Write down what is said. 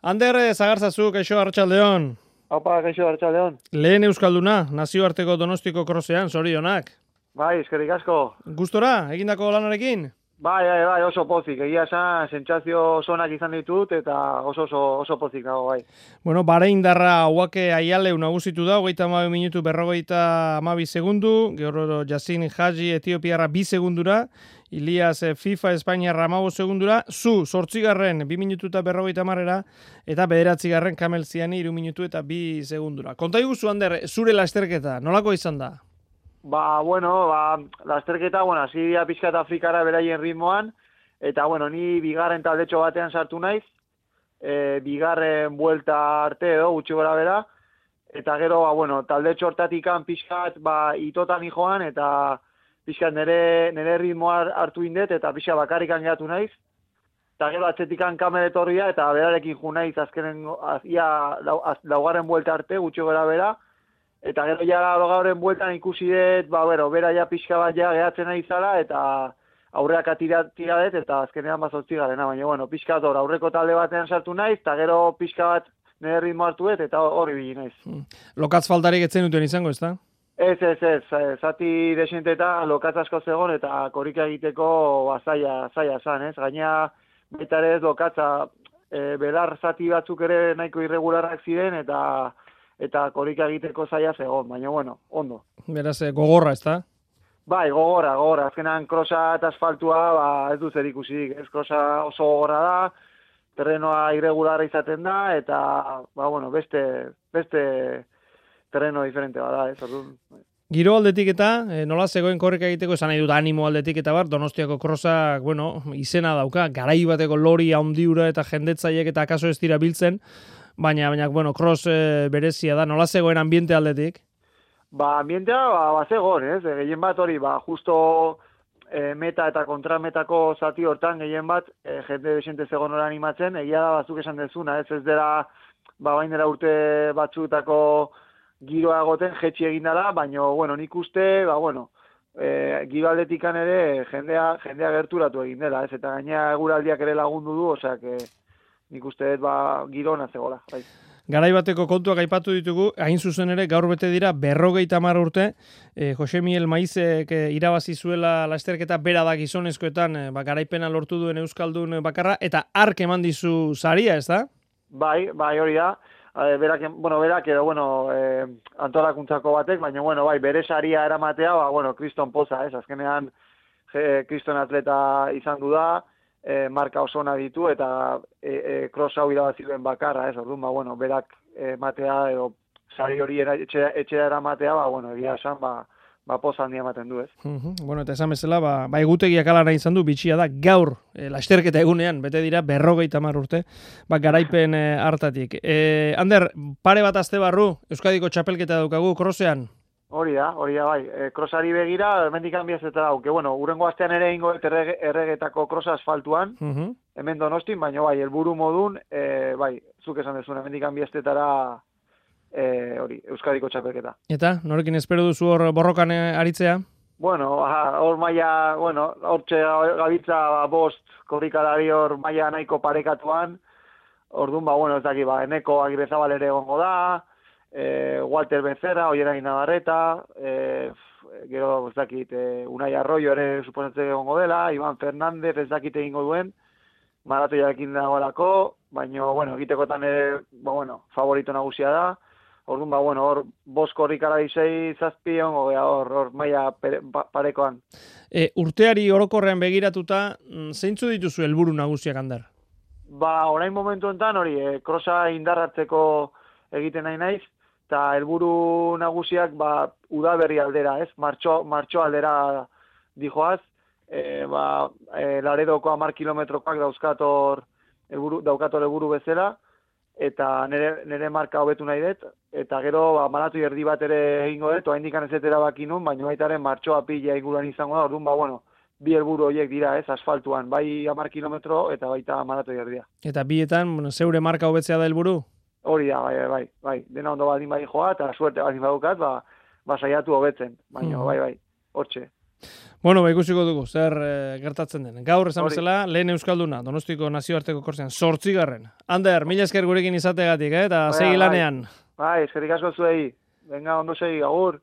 Ander, Zagarzazuk, kaixo, Arratsaldeon. Haupa, kaixo, Arratsaldeon. Lehen euskalduna, nazioarteko Donostiko krosean, zorionak. Bai, eskerrik asko. Gustora, egindako lanarekin? Bai, oso pozik. Egia esan, sentsazio zonak izan ditut, eta oso pozik dago, bai. Bueno, Bahraindarra Hauake Aialeu nagusitu da, 32 minutu 52 segundu, gero Yasin Haji Etiopiarra 2 segundura, Ilias FIFA Espainiarra 15 segundura, zu 8garren 2 minutu eta 50 eta 9garren Kamel Ziani 3 minutu eta 2 segundura. Konta iguzu, Ander, zure lasterketa, nolako izan da? Lasterketa, hasi pixkat Afrikara beraien ritmoan, eta, ni bigarren taldetxo batean sartu naiz, bigarren buelta arte edo, gutxi gora bera, eta gero, taldetxo hortatikan pixkat, itotan joan, eta pixkat nire ritmoa hartu indet, eta pixkat bakarrikan geratu naiz, eta gero atzetikan Kamel etorria, eta berarekin ju naiz azkenen, laugarren buelta arte, gutxi gora bera, eta gero gaurren bueltan ikusi dut, bera ja pixka bat gehatzen nahi zala, eta aurreak tiradet, eta azkenean 8garrena, baina, pixka bat aurreko talde batean sartu naiz, eta gero pixka bat nire ritmo hartu dut, eta hori bili naiz. Lokatz faltarik etzen duten izango, ez da? Ez, zati desente eta lokatz asko zegon, eta korrika egiteko zaila zan, ez? Gaina, baita ere ez lokatza, belar zati batzuk ere nahiko irregularrak ziren, eta korrika egiteko zaila zegoen, baina, ondo. Beraz, gogorra, ez da? Bai, gogorra. Azkenan krosa eta asfaltua, ez du zer ikusik. Ez krosa oso gogorra da, terrenoa irregularra izaten da, eta, beste terreno diferente bada, ez orduan. Giro aldetik eta, nola zegoen korrika egiteko, esan nahi dut animo aldetik eta Donostiako krosak, izena dauka, garai bateko lori handiura eta jendetzaiek eta akaso ez dira biltzen, baina, cross berezia da, nola zegoen ambiente aldetik? Ambientea, zegoen, ez? Gehien bat hori, justo meta eta kontrametako zati hortan, gehien bat, jende desente zegoen hori animatzen, egia da batzuk esan dezuna, ez dela, bain dela urte batzutako giroa egoten, jetxi egin dela, baina, nik uste, giro aldetikan ere jendea gerturatu egin dela, ez? Eta gaina eguraldiak ere lagundu du, osak, nik uste giro ona zegoela. Bai. Garai bateko kontuak aipatu ditugu, hain zuzen ere gaur bete dira 50 urte, Jose Miel Maizek irabazi zuela lasterketa bera da gizonezkoetan, garaipena lortu duen euskaldun bakarra, eta hark eman dizu saria, ez da? Bai, hori da. Berak edo, antolakuntzako batek, baina, bere saria eramatea, kriston poza, ez? Azkenean, kriston atleta izan du da, marka oso ona ditu, eta cross hau irabazi duen bakarra, ez? Orduan, berak matea, edo sari hori etxera eramatea, egia esan, poza handia ematen du, ez? Eta esan bezala, egutegiak alana izan du, bitxia da, gaur, lasterketa egunean, bete dira 50 urte, garaipen hartatik. Ander, pare bat aste barru, Euskadiko txapelketa daukagu, crossean? Hori da, bai. Crossari begira, hemendik hanbiazetara dauke. Urrengo astean ere ingo erregetako crossa asfaltuan, hemen Donostin, baina helburu modun, zuk esan dezuna, hemendik hanbiazetara Euskadiko txapelketa. Eta, norekin espero duzu hor borrokan aritzea? Hor maia, hortxe gabitza bost korrikalari hor maia nahiko parekatuan, orduan, ez daki, Eneko Agirrezabal ere egongo da, Walter Becerra, Oierain Navarreta, gero ez dakit, Unai Arroyo ere suposatzen egongo dela, Iban Fernández ez dakit egingo duen, maratoiarekin dagoelako, baina, egitekotan ere, favorito nagusia da, orduan, hor bost korrikalari 6-7 egongo gea hor maila parekoan. Urteari orokorrean begiratuta, zeintzu dituzu helburu nagusiak, Ander? Orain momentu enten hori, krosa indarratzeko egiten nahi naiz, eta helburu nagusiak udaberri aldera, ez? Martxo aldera dijoaz, Laredoko 10 kilometrokoak daukator helburu bezala, eta nire marka hobetu nahi dut, eta gero maratoi erdi bat ere egingo dut, oraindik ez dut erabaki nun, baina baitaren martxoa pila inguruan izango da, orduan, bi helburu horiek dira, ez, asfaltuan, bai 10 kilometro eta baita maratoi erdia. Eta bietan, zeure marka hobetzea da helburu? Hori da, bai. Dena ondo baldin bai joa, eta suerte baldin badukat, saiatu hobetzen. Baina, bai, hortxe. Bueno, ikusiko dugu, zer gertatzen den. Gaur esan Hori. bezala, lehen Euskalduna, Donostiko nazioarteko korsean, 8. Ander, mila esker gurekin izategatik, eta segi lanean. Bai, eskerrik asko zuei. Venga, ondo segi, agur.